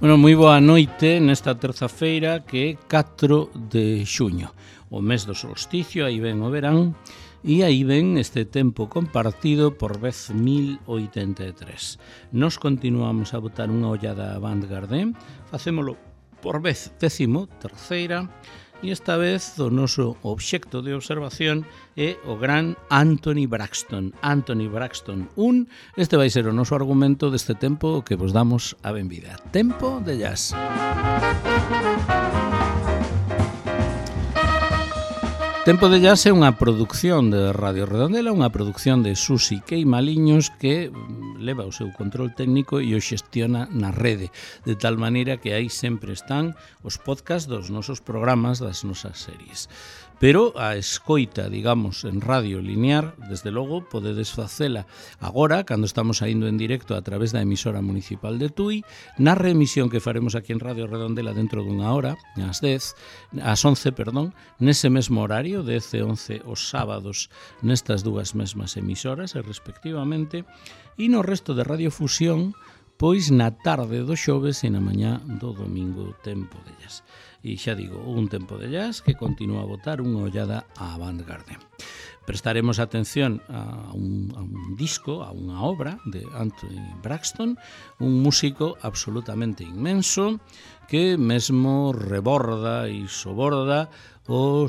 Bueno, moi boa noite nesta terza-feira que é 4 de xuño, o mes do solsticio, aí ven o verán, e aí ven este tempo compartido por vez 1083. Nos continuamos a botar unha ollada a Vanguard, facémolo por vez 13ª, e esta vez o noso obxecto de observación é o gran Anthony Braxton. Anthony Braxton 1, este vai ser o noso argumento deste tempo que vos damos a benvida. Tempo de jazz. Tempo de Jazz é unha produción de Radio Redondela, unha produción de Susi Queimaliños que leva o seu control técnico e o xestiona na rede, de tal maneira que aí sempre están os podcasts dos nosos programas, das nosas series. Pero a escoita, digamos, en radio linear, desde logo, podedes facela agora, cando estamos saindo en directo a través da emisora municipal de Tui, na reemisión que faremos aquí en Radio Redondela dentro dunha hora, ás 11, nese mesmo horario, 10 e 11 os sábados, nestas dúas mesmas emisoras, respectivamente, e no resto de Radiofusión, pois na tarde do xoves e na mañá do domingo, Tempo de Jazz. E xa digo, un Tempo de Jazz que continúa a botar unha ollada á Vanguard. Prestaremos atención a un disco, a unha obra de Anthony Braxton, un músico absolutamente inmenso que mesmo reborda e soborda o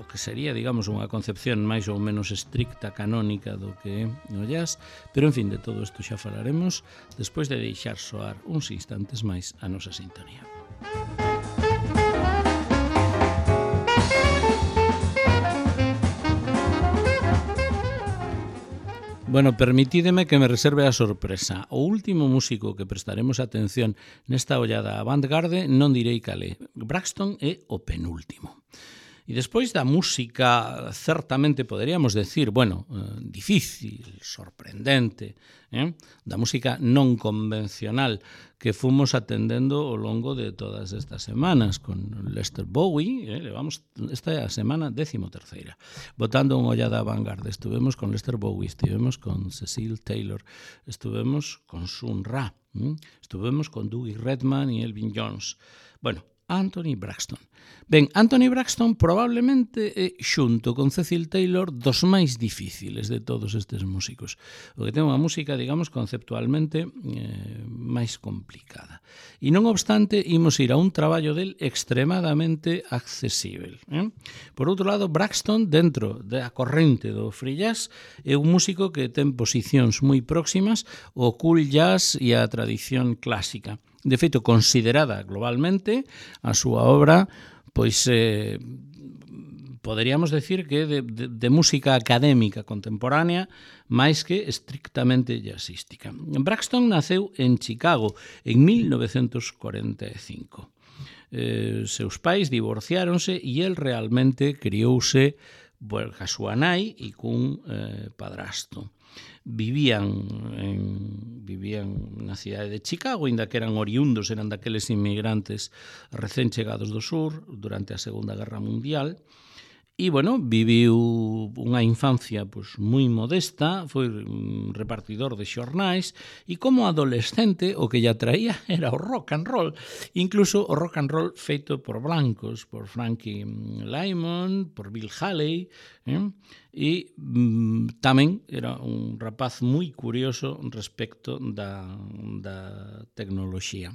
que sería, digamos, unha concepción máis ou menos estricta, canónica do que é o jazz, pero en fin, de todo isto xa falaremos despois de deixar soar uns instantes máis a nosa sintonía. Bueno, permitídeme que me reserve a sorpresa. O último músico que prestaremos atención nesta ollada a Vanguard non direi calé. Braxton é o penúltimo. E despois da música, certamente poderíamos decir, bueno, difícil, sorprendente, da música non convencional que fomos atendendo ao longo de todas estas semanas con Lester Bowie, levamos esta é a semana 13ª, botando unha ollada a Vanguard. Estuvemos con Lester Bowie, estivemos con Cecil Taylor, estuvemos con Sun Ra, estuvemos con Dougie Redman e Elvin Jones. Bueno, Anthony Braxton. Ben, Anthony Braxton probablemente é, xunto con Cecil Taylor, dos máis difíciles de todos estes músicos. O que ten unha música, digamos, conceptualmente máis complicada. E non obstante, imos ir a un traballo del extremadamente accesible. Por outro lado, Braxton, dentro da corrente do free jazz, é un músico que ten posicións moi próximas ao cool jazz e á tradición clásica. De feito, considerada globalmente, a súa obra, pois poderíamos decir que de música académica contemporánea máis que estrictamente jazzística. Braxton naceu en Chicago en 1945. Seus pais divorciáronse e el realmente criouse ca súa nai e cun padrasto. Vivían na cidade de Chicago, inda que eran oriundos, eran daqueles inmigrantes recén chegados do sur durante a Segunda Guerra Mundial. E, bueno, viviu unha infancia pois, moi modesta, foi repartidor de xornais e como adolescente o que lle atraía era o rock and roll, incluso o rock and roll feito por blancos, por Frankie Lymon, por Bill Haley, e tamén era un rapaz moi curioso respecto da tecnoloxía.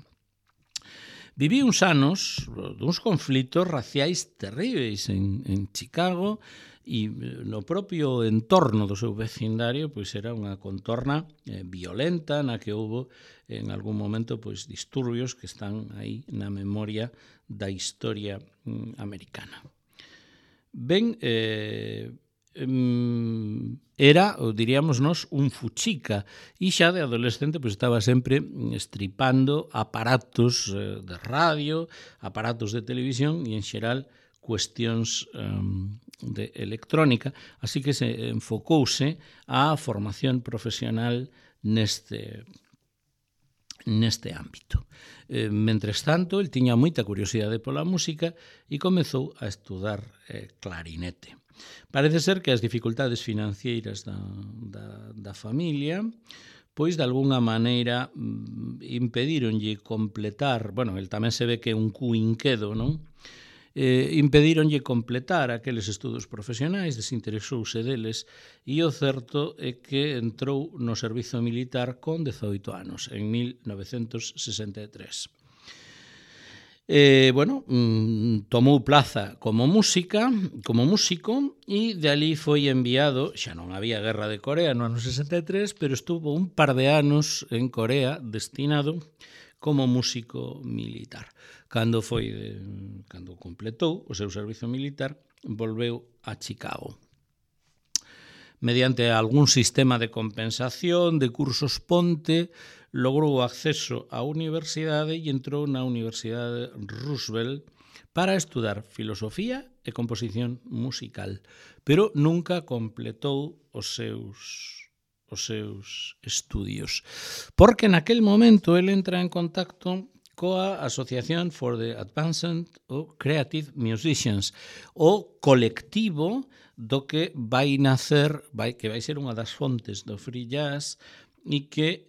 Viví uns anos duns conflitos raciais terríveis en Chicago e no propio entorno do seu vecindario pois era unha contorna violenta na que houbo en algún momento pois disturbios que están aí na memoria da historia americana. Ben, era, diríamos nós, un fuchica e xa de adolescente pois estaba sempre estripando aparatos de radio, aparatos de televisión e en xeral cuestións de electrónica, así que se enfocouse á formación profesional neste ámbito. Mentres tanto, el tiña moita curiosidade pola música e comezou a estudar clarinete. Parece ser que as dificultades financeiras da familia pois de alguna maneira impedíronlle completar, bueno, el tamén se ve que é un cuinquedo, non? Impedíronlle completar aqueles estudos profesionais, desinteresouse deles, e o certo é que entrou no servizo militar con 18 anos, en 1963. Tomou plaza como músico e de ali foi enviado, xa non había guerra de Corea no ano 63, pero estuvo un par de anos en Corea destinado como músico militar. Cando completou o seu servizo militar, volveu a Chicago. Mediante algún sistema de compensación, de cursos ponte, logrou acceso á universidade e entrou na Universidade Roosevelt para estudar filosofía e composición musical, pero nunca completou os seus estudios, porque naquel momento ele entra en contacto coa Association for the Advancement of Creative Musicians, o colectivo do que vai nacer, que vai ser unha das fontes do free jazz e que,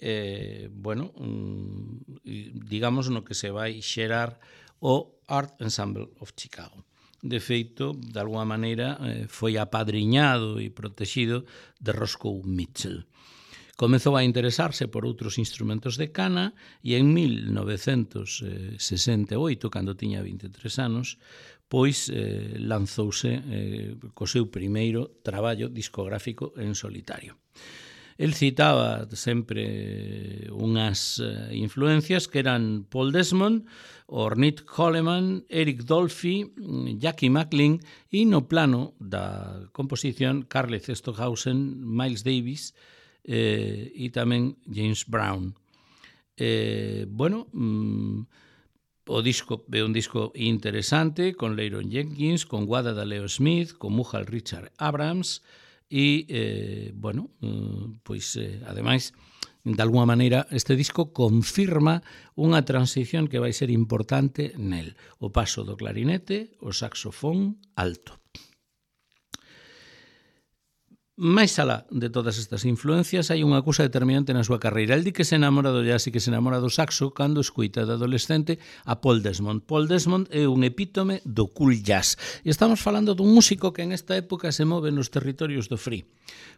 digamos, no que se vai xerar o Art Ensemble of Chicago. De feito, de alguma maneira, foi apadriñado e protegido de Roscoe Mitchell. Comezou a interesarse por outros instrumentos de cana e en 1968, cando tiña 23 anos, pois lanzouse co seu primeiro traballo discográfico en solitario. El citaba sempre unhas influencias que eran Paul Desmond, Ornette Coleman, Eric Dolphy, Jackie McLean e no plano da composición Carl Stockhausen, Miles Davis e tamén James Brown. O disco é un disco interesante con Leighton Jenkins, con Wada Daleo Smith, con Mughal Richard Abrams e, ademais, de alguma maneira, este disco confirma unha transición que vai ser importante nel, o paso do clarinete ao saxofón alto. Máis alá de todas estas influencias, hai unha cousa determinante na súa carreira. El di que se enamora do jazz e que se enamora do saxo cando escuita de adolescente a Paul Desmond. Paul Desmond é un epítome do cool jazz. E estamos falando dun músico que en esta época se move nos territorios do free.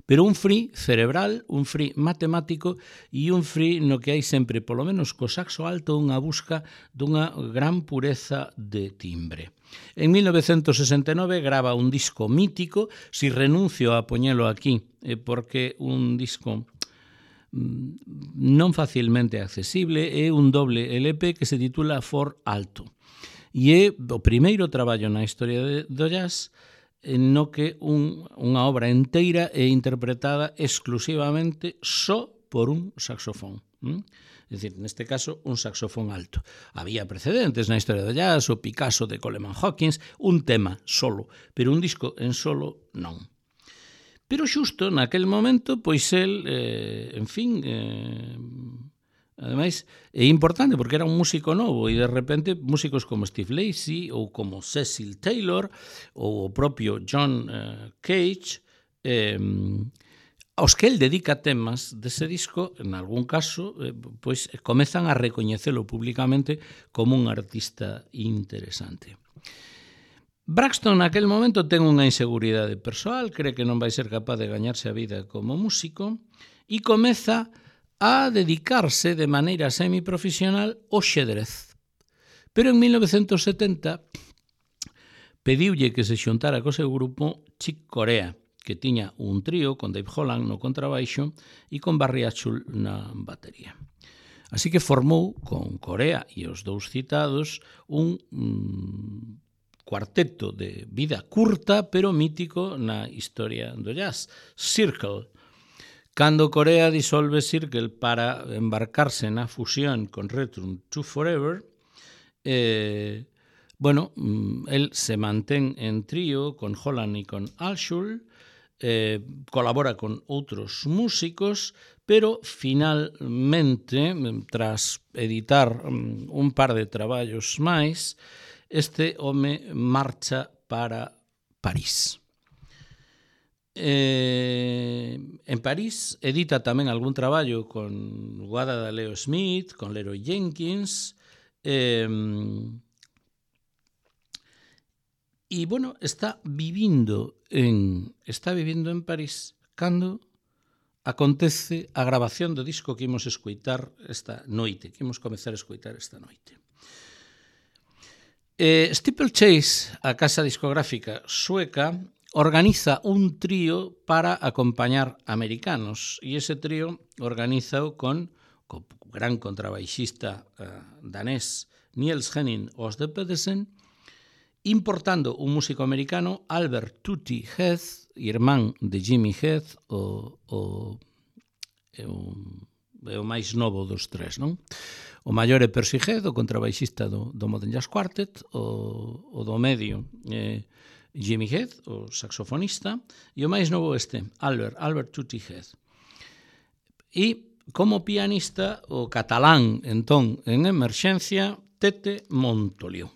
Pero un free cerebral, un free matemático e un free no que hai sempre, polo menos co saxo alto, unha busca dunha gran pureza de timbre. En 1969 grava un disco mítico, si renuncio a poñelo aquí, porque un disco non facilmente accesible, é un doble LP que se titula For Alto. E é o primeiro traballo na historia do jazz no que unha obra inteira é interpretada exclusivamente só por un saxofón. É dicir, neste caso, un saxofón alto. Había precedentes na historia do jazz, o Picasso de Coleman Hawkins, un tema solo, pero un disco en solo non. Pero xusto naquel momento, pois el, ademais, é importante porque era un músico novo e de repente músicos como Steve Lacy ou como Cecil Taylor ou o propio John Cage aos que el dedica temas dese disco, en algún caso, pois comezan a recoñecelo públicamente como un artista interesante. Braxton naquel momento ten unha inseguridade persoal, cree que non vai ser capaz de gañarse a vida como músico e comeza a dedicarse de maneira semiprofesional ao xedrez. Pero en 1970 pediulle que se xuntara co seu grupo Chick Corea, que tiña un trío con Dave Holland no contrabaixo e con Barry Atchell na batería. Así que formou con Corea e os dous citados un cuarteto de vida curta pero mítico na historia do jazz, Circle. Cando Corea disolve Circle para embarcarse na fusión con Return to Forever, el se mantén en trío con Holland e con Atchell, colabora con outros músicos, pero finalmente, tras editar un par de traballos máis, este home marcha para París. En París edita tamén algún traballo con Guada de Leo Smith, con Leroy Jenkins, e, bueno, está vivindo en París cando acontece a grabación do disco que imos escoitar esta noite, que imos comezar a escoitar esta noite. Steeplechase, a casa discográfica sueca, organiza un trío para acompañar americanos, e ese trío organizao con o gran contrabaixista danés Niels Henning Ørsted Pedersen, importando un músico americano, Albert Tutti Heath, irmán de Jimmy Heath, o máis novo dos tres, non? O maior é Percy Heath, o contrabaixista do Modern Jazz Quartet, o do medio Jimmy Heath, o saxofonista, e o máis novo Albert Tutti Heath. E como pianista, o catalán, entón, en emerxencia, Tete Montoliu.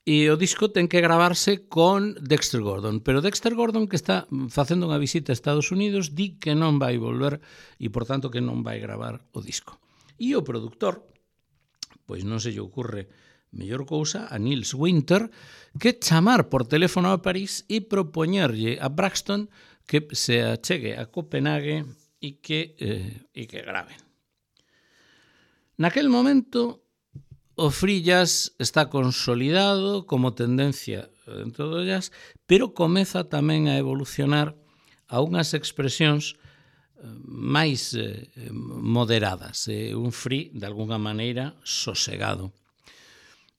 E o disco ten que gravarse con Dexter Gordon, pero Dexter Gordon, que está facendo unha visita a Estados Unidos, di que non vai volver e, por tanto, que non vai gravar o disco. E o produtor, pois non se lle ocurre mellor cousa a Nils Winter que chamar por teléfono a París e propoñerlle a Braxton que se achegue a Copenhague e que graven. Naquel momento, o free jazz está consolidado como tendencia dentro do jazz, pero comeza tamén a evolucionar a unhas expresións máis moderadas, un free, de alguna maneira, sosegado.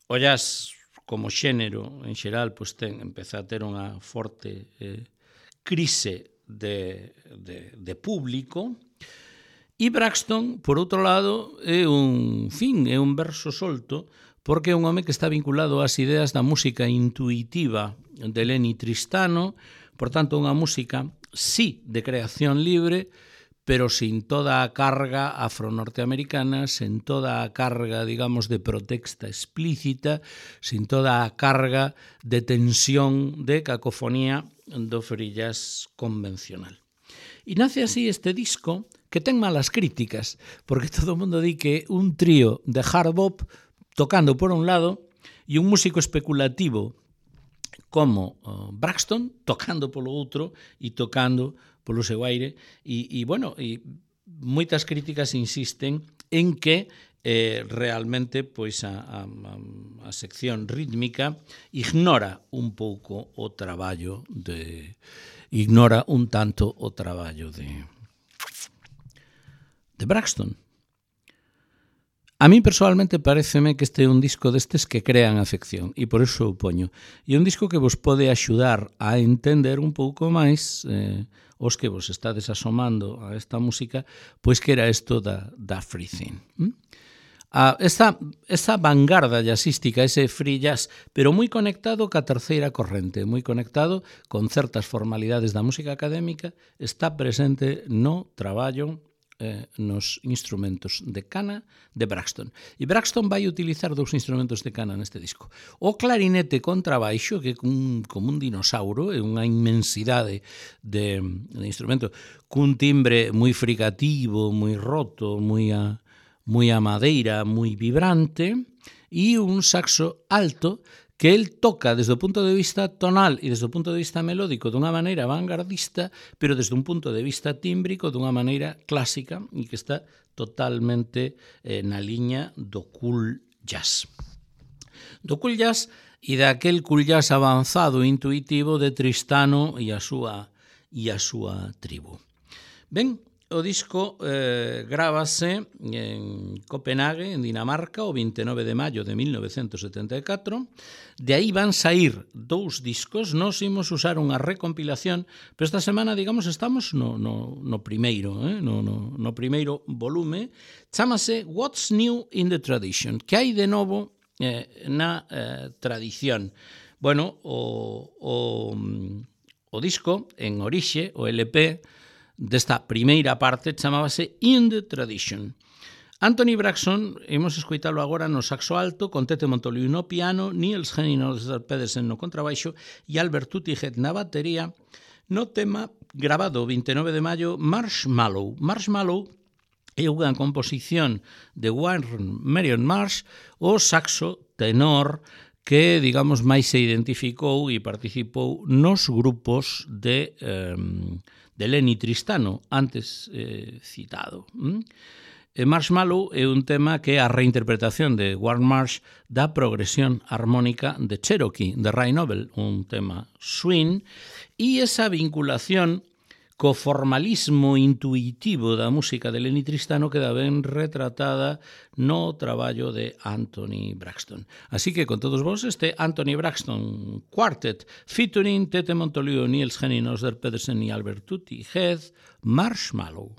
O jazz, como xénero, en xeral, pois empeza a ter unha forte crise de público. E Braxton, por outro lado, é un verso solto, porque é un home que está vinculado ás ideas da música intuitiva de Lenny Tristano, por tanto, unha música, sí, de creación libre, pero sin toda a carga afro-norteamericana, sin toda a carga, digamos, de protesta explícita, sin toda a carga de tensión, de cacofonía do free jazz convencional. E nace así este disco, que ten malas críticas, porque todo o mundo di que un trío de hard bop tocando por un lado e un músico especulativo como Braxton tocando polo outro e tocando polo seu aire. E moitas críticas insisten en que realmente pois a sección rítmica ignora un pouco o traballo ignora un tanto o traballo de Braxton. A mí personalmente pareceme que este é un disco destes que crean afección e por iso o poño. E un disco que vos pode axudar a entender un pouco máis os que vos estades asomando a esta música, pois que era isto da free thing. Esta vanguarda jazzística, ese free jazz, pero moi conectado ca terceira corrente, moi conectado con certas formalidades da música académica, está presente no traballo nos instrumentos de cana de Braxton. E Braxton vai utilizar dous instrumentos de cana neste disco. O clarinete contrabaixo, que é como un dinosauro, é unha inmensidade de instrumento, cun timbre moi fricativo, moi roto, moi a madeira, moi vibrante, e un saxo alto que el toca desde o punto de vista tonal e desde o punto de vista melódico dunha maneira vanguardista, pero desde un punto de vista tímbrico dunha maneira clásica e que está totalmente na liña do cool jazz. Do cool jazz e daquel cool jazz avanzado e intuitivo de Tristano e a súa tribu. Ben, o disco grábase en Copenhague, en Dinamarca, o 29 de maio de 1974. De aí van sair dous discos. Nos imos usar unha recompilación, pero esta semana, digamos, estamos no primeiro, no primeiro volume. Chámase What's New in the Tradition? Que hai de novo na tradición? Bueno, o disco, en orixe, o LP, desta primeira parte chamábase In the Tradition. Anthony Braxton, imos escoitalo agora no saxo alto, con Tete Montoliu no piano, Niels Henning Ørsted Pedersen no contrabaixo e Albert Tutti Heath na batería, no tema grabado o 29 de maio Marshmallow. Marshmallow é unha composición de Warren Marion Marsh, o saxo tenor que, digamos, máis se identificou e participou nos grupos de Lenny Tristano, antes citado. Marshmallow é un tema que é a reinterpretación de Warren Marsh da progresión armónica de Cherokee, de Ray Noble, un tema swing, e esa vinculación co formalismo intuitivo da música de Lenny Tristano queda ben retratada no traballo de Anthony Braxton. Así que con todos vos este Anthony Braxton Quartet featuring Tete Montoliu, Niels Henning, Oscar Pedersen e Albert Tutti Head, Marshmallow.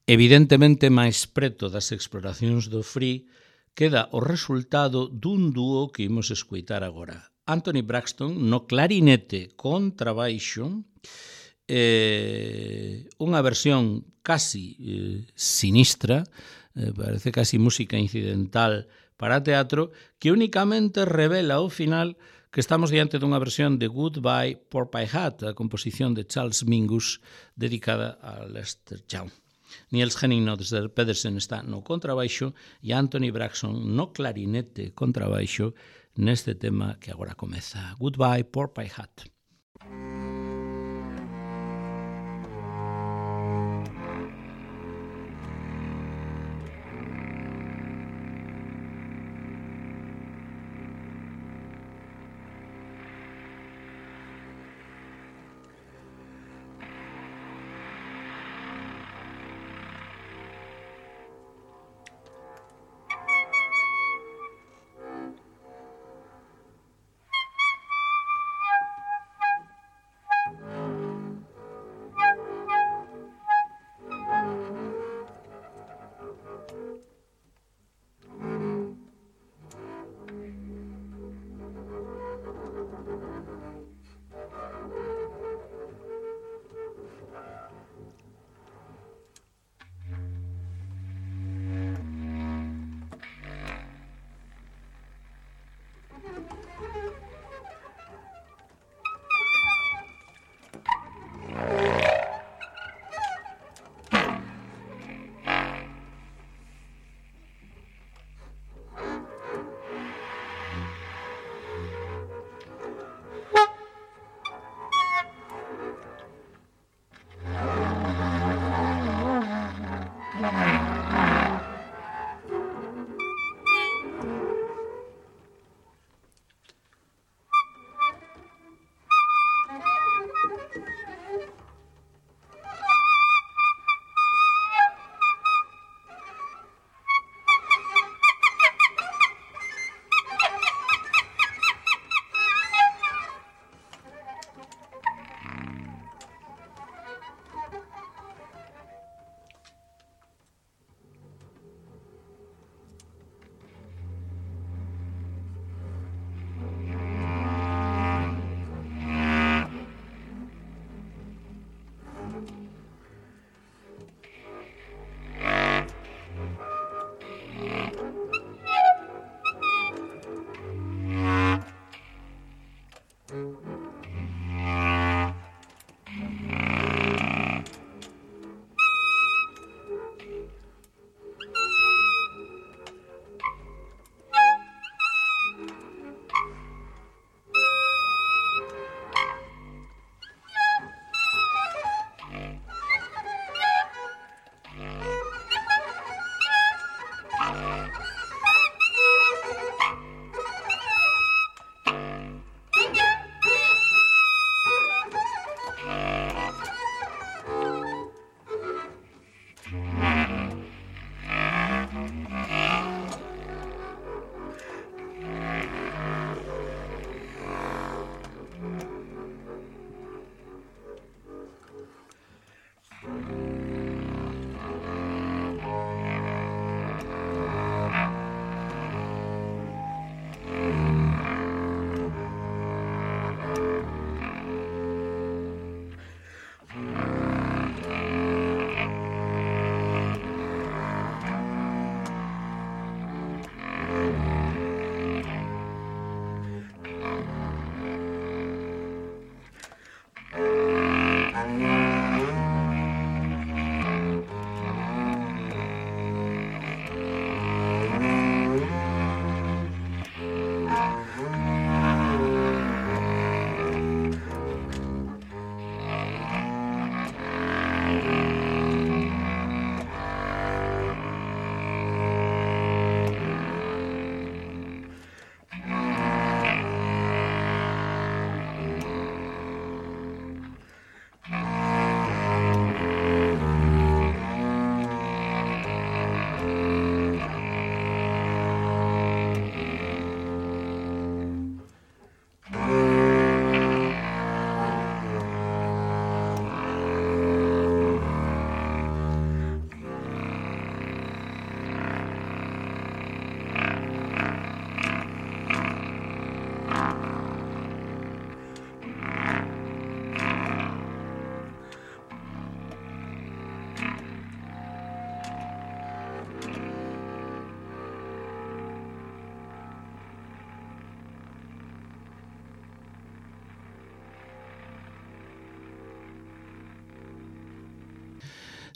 Evidentemente, máis preto das exploracións do Free queda o resultado dun dúo que imos escoitar agora. Anthony Braxton no clarinete contrabaixo, unha versión casi sinistra, parece casi música incidental para teatro, que únicamente revela ao final que estamos diante dunha versión de Goodbye Pork-Pie Hat, a composición de Charles Mingus dedicada a Lester Young. Niels Henning Pedersen está no contrabaixo e Anthony Braxton no clarinete contrabaixo neste tema que agora comeza. Goodbye Pork-Pie Hat.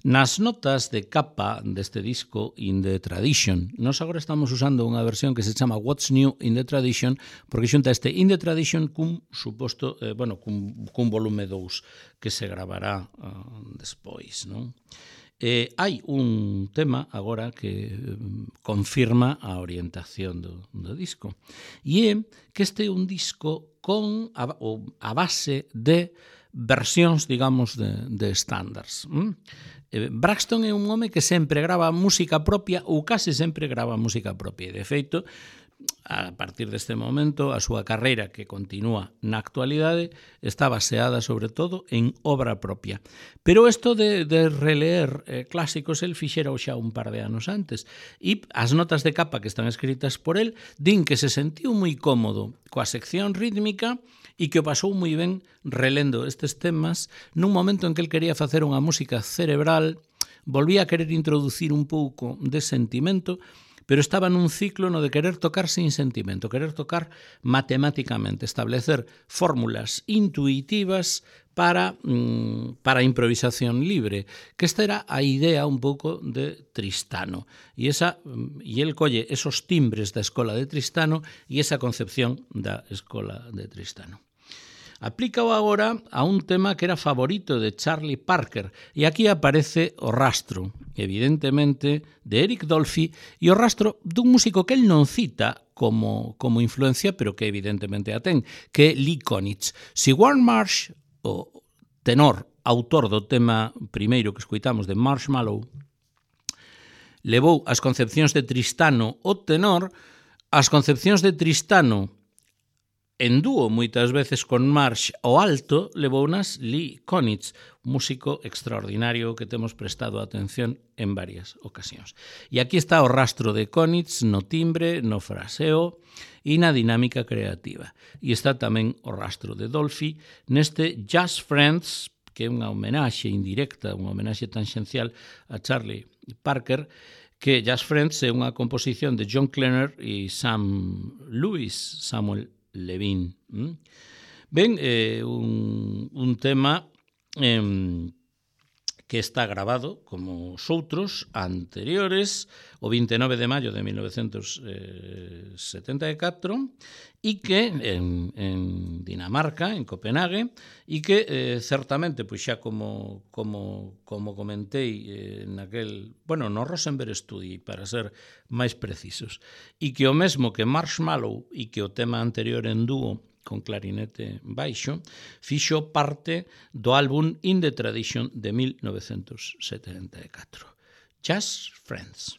Nas notas de capa deste disco In the Tradition, nós agora estamos usando unha versión que se chama What's New in the Tradition, porque xunta este In the Tradition cun suposto, cun volume 2 que se gravará despois, non? Hai un tema agora que confirma a orientación do disco, e é que este é un disco con a base de versións, digamos, de estándares. Braxton é un home que sempre grava música propia ou case sempre grava música propia, e de feito, a partir deste momento, a súa carreira, que continúa na actualidade, está baseada sobre todo en obra propia. Pero isto de releer clásicos, el fixera xa un par de anos antes, e as notas de capa que están escritas por el din que se sentiu moi cómodo coa sección rítmica e que o pasou moi ben relendo estes temas nun momento en que el quería facer unha música cerebral, volvía a querer introducir un pouco de sentimento, pero estaba nun ciclo no de querer tocar sin sentimento, querer tocar matemáticamente, establecer fórmulas intuitivas para a improvisación libre, que esta era a idea un pouco de Tristano. E el colle esos timbres da escola de Tristano e esa concepción da escola de Tristano. Aplícao agora a un tema que era favorito de Charlie Parker, e aquí aparece o rastro, evidentemente, de Eric Dolphy, e o rastro dun músico que el non cita como influencia, pero que evidentemente a ten, que é Lee Konitz. Si Warren Marsh, o tenor, autor do tema primeiro que escoitamos de Marshmallow, levou as concepcións de Tristano o tenor, as concepcións de Tristano en dúo moitas veces con Marsh o alto, levounas Lee Konitz, músico extraordinario que temos prestado atención en varias ocasións. E aquí está o rastro de Konitz no timbre, no fraseo e na dinámica creativa. E está tamén o rastro de Dolphy neste Just Friends, que é unha homenaxe indirecta, unha homenaxe tangencial a Charlie Parker, que Just Friends é unha composición de John Klenner e Samuel Levine. Ben, un tema que está grabado como os outros anteriores o 29 de maio de 1974 e que en Dinamarca, en Copenhague, e que certamente, pois xa como comentei no Rosenberg Studio, para ser máis precisos, e que o mesmo que Marshmallow e que o tema anterior en dúo con clarinete baixo, fixo parte do álbum In the Tradition de 1974. Just Friends.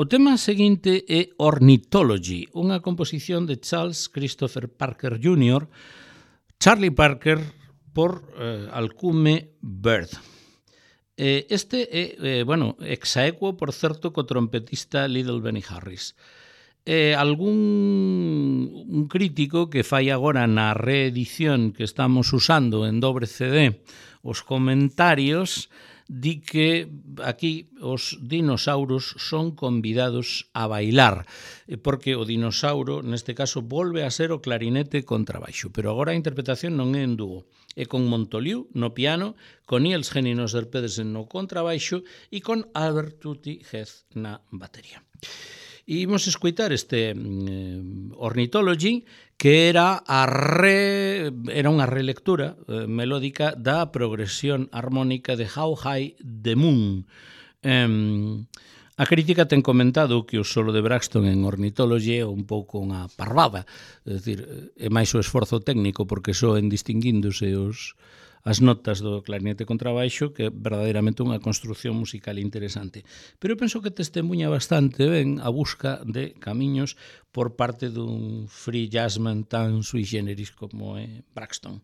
O tema seguinte é Ornithology, unha composición de Charles Christopher Parker Jr., Charlie Parker por alcume Bird. Este é, exaequo, por certo, co trompetista Little Benny Harris. Un crítico que fai agora na reedición que estamos usando en dobre CD os comentarios di que aquí os dinosauros son convidados a bailar, porque o dinosauro, neste caso, volve a ser o clarinete contrabaixo, pero agora a interpretación non é en dúo, é con Montoliu no piano, con Niels Henning Pedersen no contrabaixo e con Albert Tutti Heath na batería. E imos escoitar este Ornithology, que era unha relectura melódica da progresión armónica de How High the Moon. A crítica ten comentado que o solo de Braxton en Ornithology é un pouco unha parvada, é dicir, é máis o esforzo técnico porque soen distinguíndose as notas do clarinete contrabaixo, que é verdadeiramente unha construción musical interesante. Pero eu penso que testemunha bastante ben a busca de camiños por parte dun free jazzman tan sui generis como é Braxton.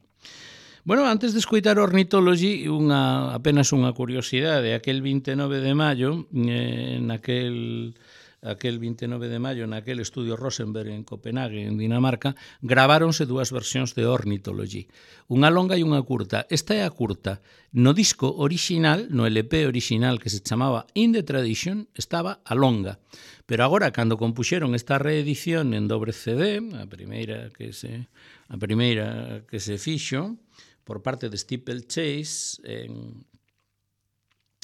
Bueno, antes de escoitar Ornithology, apenas unha curiosidade. Aquel 29 de maio, naquel 29 de maio, naquel estudio Rosenberg en Copenhague, en Dinamarca, graváronse dúas versións de Ornithology, unha longa e unha curta. Esta é a curta. No disco original, no LP original que se chamaba In the Tradition, estaba a longa. Pero agora, cando compuxeron esta reedición en dobre CD, a primeira que se fixo por parte de Steeplechase en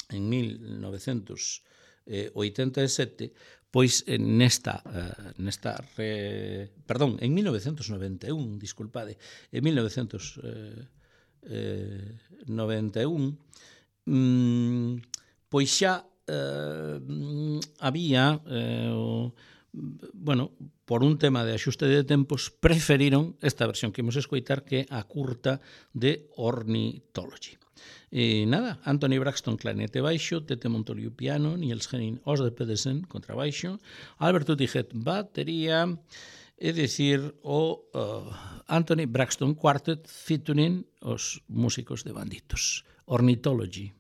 1987, pois en 1991, disculpade, en 1991, pois xa había, por un tema de axuste de tempos, preferiron esta versión que imos escoitar, que é a curta de Ornithology. E nada, Anthony Braxton clarinete baixo, Tete Montoliu piano, Niels Henning Pedersen contrabaixo, Albert Tutti Heath batería, é dicir, o Anthony Braxton Quartet featuring os músicos de Banditos. Ornithology.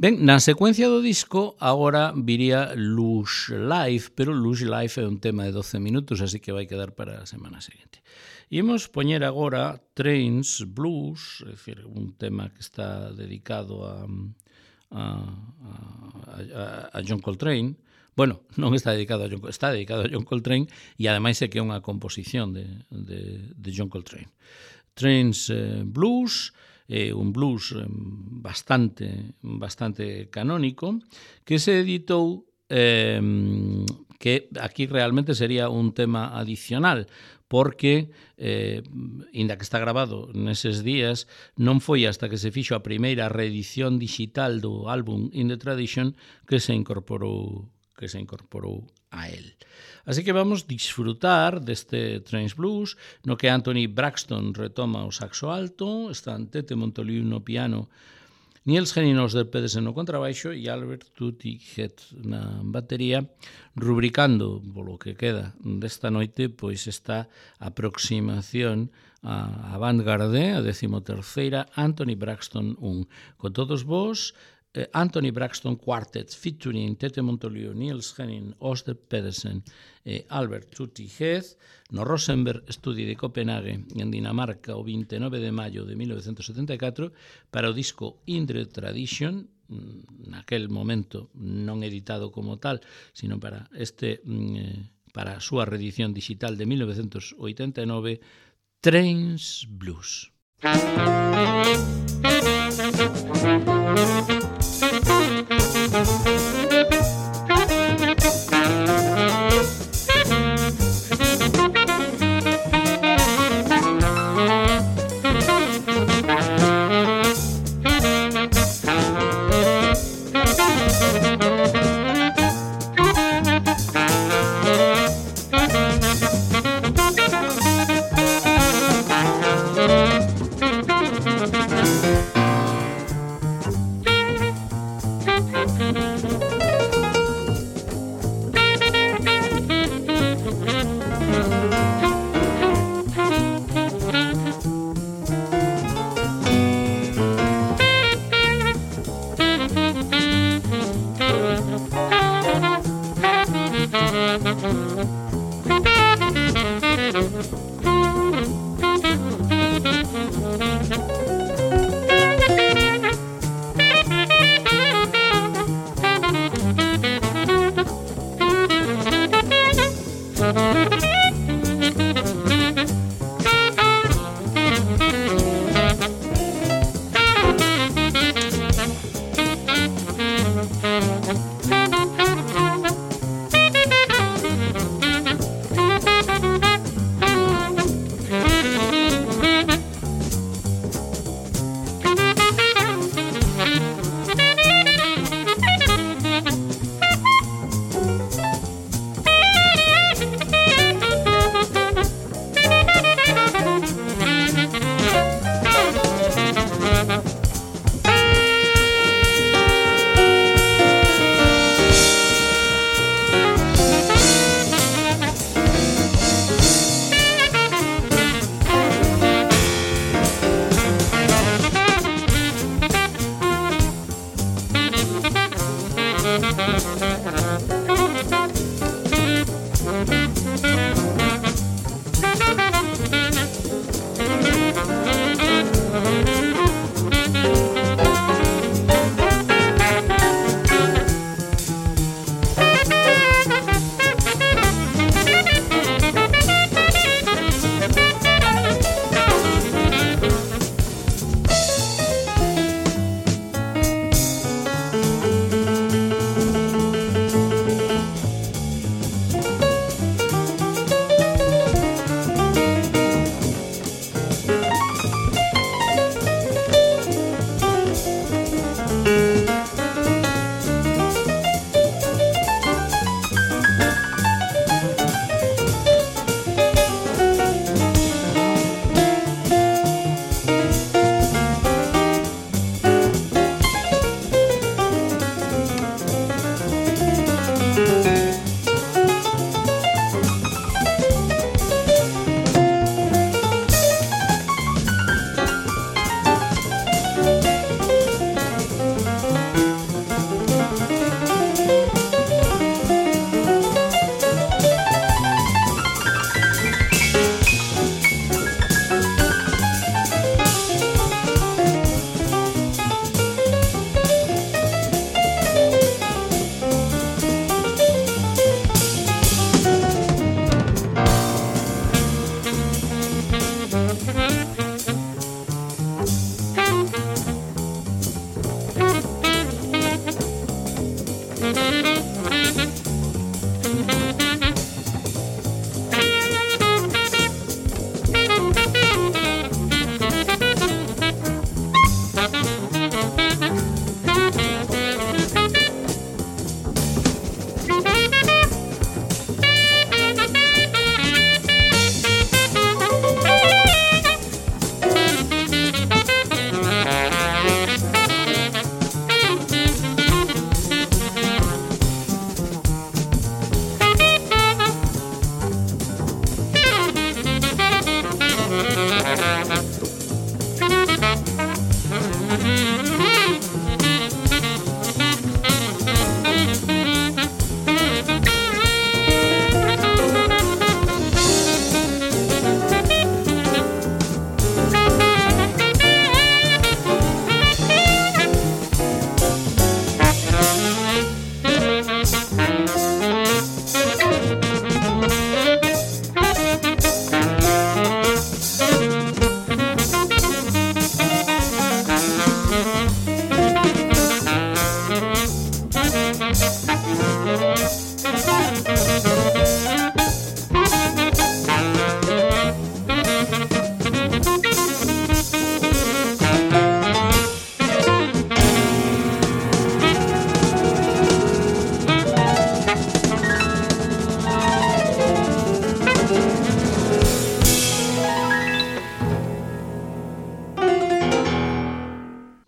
Ben, na secuencia do disco agora viría Lush Life, pero Lush Life é un tema de 12 minutos, así que vai quedar para a semana seguinte. Imos poñer agora Trains Blues, é dicir, un tema que está dedicado a John Coltrane. Bueno, non está dedicado a John Coltrane, está dedicado a John Coltrane e ademais é que é unha composición de John Coltrane. Trains Blues é un blues bastante canónico que se editou que aquí realmente sería un tema adicional porque, inda que está grabado neses días, non foi hasta que se fixo a primeira reedición digital do álbum In the Tradition que se incorporou a él. Así que vamos disfrutar deste Trains Blues, no que Anthony Braxton retoma o saxo alto, están Tete Montoliu no piano, Niels Henning Ørsted Pedersen no contrabaixo e Albert Tutti Het na batería, rubricando polo que queda desta noite pois esta aproximación a Avant-Garde, a 13ª Anthony Braxton 1. Con todos vos, Anthony Braxton Quartet featuring Tete Montoliu, Niels Henning Ørsted Pedersen e Albert Tutti Het no Rosenberg Studio de Copenhague en Dinamarca o 29 de maio de 1974 para o disco In the Tradition, naquel momento non editado como tal, sino para a súa reedición digital de 1989, Trains Blues.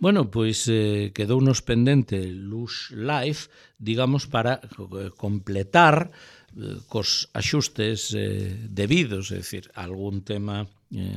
Bueno, pois quedounos pendente Lush Life, digamos, para completar cos axustes debidos, é dicir, algún tema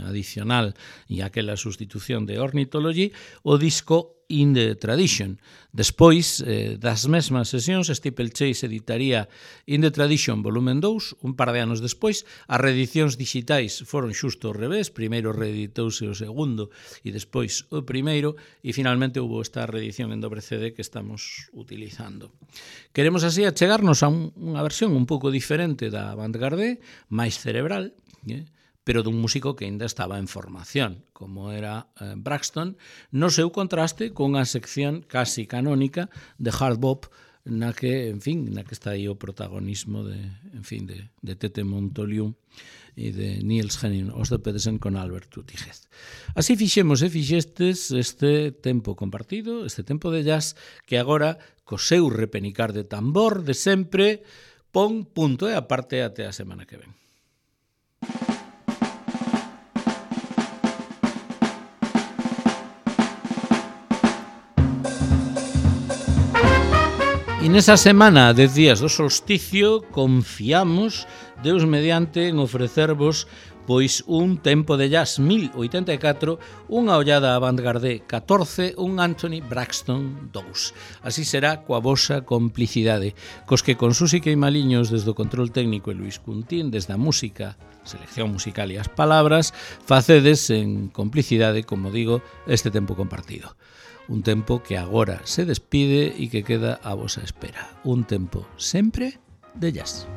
adicional e aquela sustitución de Ornithology, o disco In the Tradition. Despois das mesmas sesións, Steeplechase editaría In the Tradition volumen 2, un par de anos despois. As reedicións digitais foron xusto ao revés, primeiro reeditouse o segundo e despois o primeiro, e finalmente houve esta reedición en dobre CD que estamos utilizando. Queremos así achegarnos a unha versión un pouco diferente da Avantgarde, máis cerebral, pero dun músico que ainda estaba en formación, como era Braxton, no seu contraste cunha sección casi canónica de hard bop na que, en fin, na que está aí o protagonismo de Tete Montoliu e de Niels Henning Ørsted Pedersen con Albert Utigez. Así fixemos e fixestes este tempo compartido, este tempo de jazz, que agora, co seu repenicar de tambor de sempre, pon punto e aparte até a semana que ven. E nesa semana, 10 días do solsticio, confiamos, Deus mediante, en ofrecervos pois un tempo de jazz 1084, unha ollada Avantgarde 14, un Anthony Braxton 2. Así será coa vosa complicidade, cos que con Susi Queimaliños desde o control técnico e Luis Cuntín desde a música, selección musical e as palabras, facedes en complicidade, como digo, este tempo compartido. Un tempo que agora se despide e que queda a vosa espera. Un tempo sempre de jazz.